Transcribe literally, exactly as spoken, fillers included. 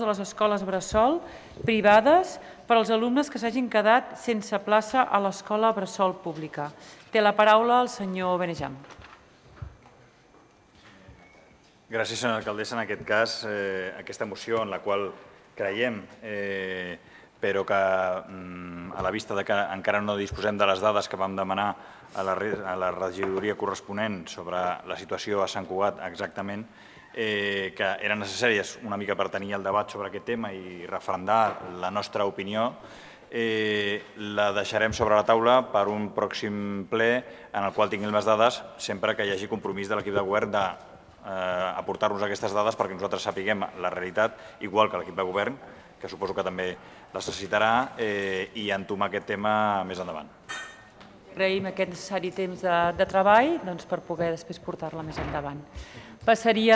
de les escoles bressol privades per als alumnes que s'hagin quedat sense plaça a l'escola bressol pública. Té la paraula el senyor Benejam. Gràcies, senyora alcaldessa. En aquest cas, eh, aquesta moció en la qual creiem, eh, però que mm, a la vista de que encara no disposem de les dades que vam demanar a la, a la regidoria corresponent sobre la situació a Sant Cugat exactament, eh, que eren necessàries una mica per tenir el debat sobre aquest tema i referendar la nostra opinió, eh, la deixarem sobre la taula per un pròxim ple en el qual tinguem les dades sempre que hi hagi compromís de l'equip de govern de eh, aportar-nos aquestes dades perquè nosaltres sapiguem la realitat, igual que l'equip de govern, que suposo que també les necessitarà, eh, i entomar aquest tema més endavant. Agraïm aquest necessari temps de, de treball doncs, per poder després portar-la més endavant. Passaria